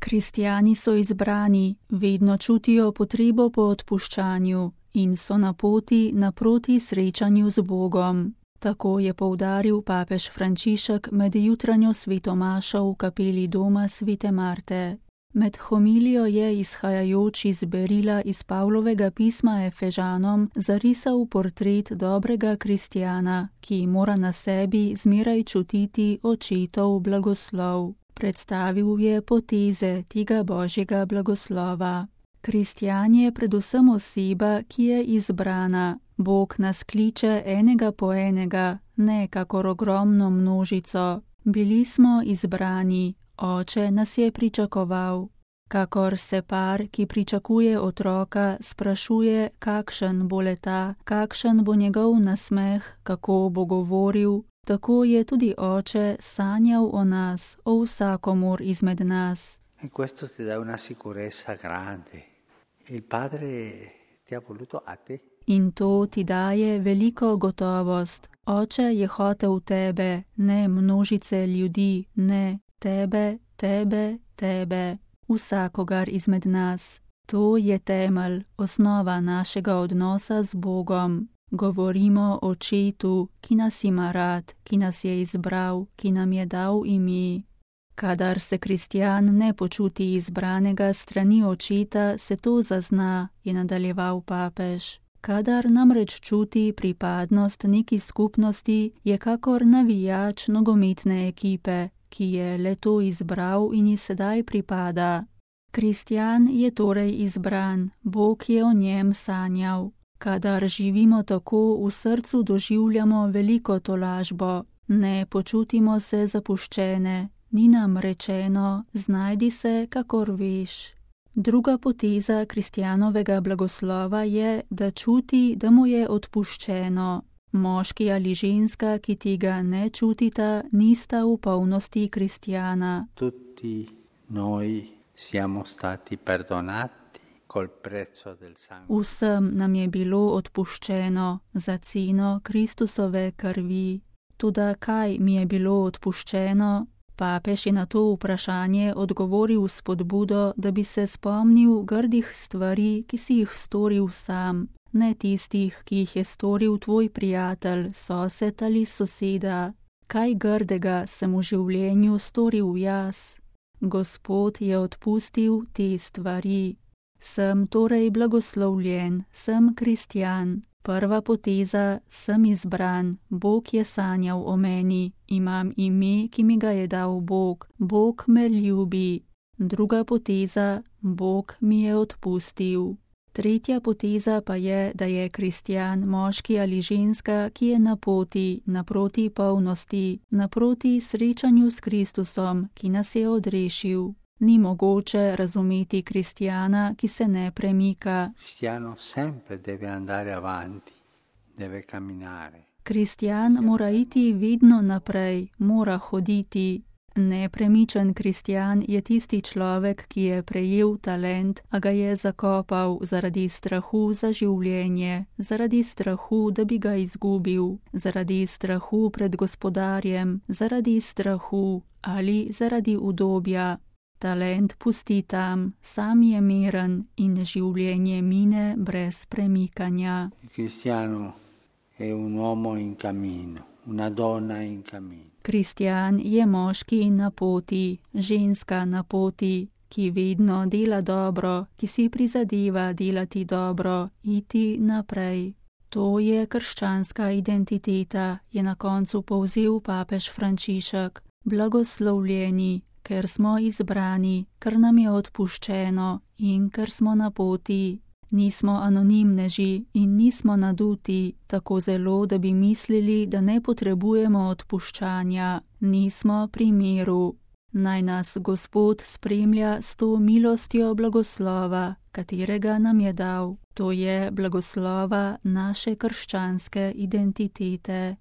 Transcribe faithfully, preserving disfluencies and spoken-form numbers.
Kristjani so izbrani, vedno čutijo potrebo po odpuščanju in so na poti naproti srečanju z Bogom. Tako je poudaril papež Frančišek med jutranjo sveto mašo v kapeli doma svete Marte. Med homilijo je izhajajoč iz berila iz Pavlovega pisma Efežanom zarisal portret dobrega kristjana, ki mora na sebi zmeraj čutiti očetov blagoslov. Predstavil je poteze tega božjega blagoslova. Kristjan je predvsem oseba, ki je izbrana. Bog nas kliče enega po enega, ne kakor ogromno množico. Bili smo izbrani, Oče nas je pričakoval. Kakor se par, ki pričakuje otroka, sprašuje, kakšen bo leta, kakšen bo njegov nasmeh, kako bo govoril, tako je tudi Oče sanjal o nas, o vsakomur izmed nas. In questo ti dà una sicurezza grande. Il Padre ti ha voluto a te. In to ti daje veliko gotovost. Oče je hotel tebe, ne množice ljudi, ne tebe, tebe, tebe, vsakogar izmed nas. To je temelj, osnova našega odnosa z Bogom. Govorimo o Očetu, ki nas ima rad, ki nas je izbral, ki nam je dal ime. Kadar se kristjan ne počuti izbranega strani Očeta, se to zazna, je nadaljeval papež. Kadar namreč čuti pripadnost neki skupnosti, je kakor navijač nogometne ekipe, ki je le to izbral in ji sedaj pripada. Kristjan je torej izbran, Bog je o njem sanjal. Kadar živimo tako, v srcu doživljamo veliko tolažbo, ne počutimo se zapuščene, ni nam rečeno, znajdi se, kakor veš. Druga poteza kristjanovega blagoslova je, da čuti, da mu je odpuščeno. Moški ali ženska, ki tega ne čutita, nista v polnosti kristjana. Tutti noi siamo stati perdonati col prezzo del sangue. Vsem nam je bilo odpuščeno za ceno Kristusove krvi. Toda kaj mi je bilo odpuščeno? Papež je na to vprašanje odgovoril s spodbudo, da bi se spomnil grdih stvari, ki si jih storil sam, ne tistih, ki jih je storil tvoj prijatelj, sosed ali soseda. Kaj grdega sem v življenju storil jaz? Gospod je odpustil te stvari. Sem torej blagoslovljen, sem kristjan. Prva poteza, sem izbran, Bog je sanjal o meni, imam ime, ki mi ga je dal Bog, Bog me ljubi. Druga poteza, Bog mi je odpustil. Tretja poteza pa je, da je kristjan moški ali ženska, ki je na poti, naproti polnosti, naproti srečanju s Kristusom, ki nas je odrešil. Ni mogoče razumeti kristjana, ki se ne premika. Cristiano sempre deve andare avanti, deve camminare. Kristjan mora iti vedno naprej, mora hoditi. Nepremičen kristjan je tisti človek, ki je prejel talent, a ga je zakopal zaradi strahu za življenje, zaradi strahu, da bi ga izgubil, zaradi strahu pred gospodarjem, zaradi strahu ali zaradi udobja. Talent pusti tam, sam je miren in življenje mine brez premikanja. Cristiano è un uomo in cammino, una donna in cammino. Kristjan je moški na poti, ženska na poti, ki vedno dela dobro, ki si prizadeva delati dobro, iti naprej. To je krščanska identiteta, je na koncu povzel papež Frančišek. Blagoslovljeni, ker smo izbrani, ker nam je odpuščeno in ker smo na poti. Nismo anonimneži in nismo naduti tako zelo, da bi mislili, da ne potrebujemo odpuščanja. Nismo pri miru. Naj nas Gospod spremlja s to milostjo blagoslova, katerega nam je dal. To je blagoslova naše krščanske identitete.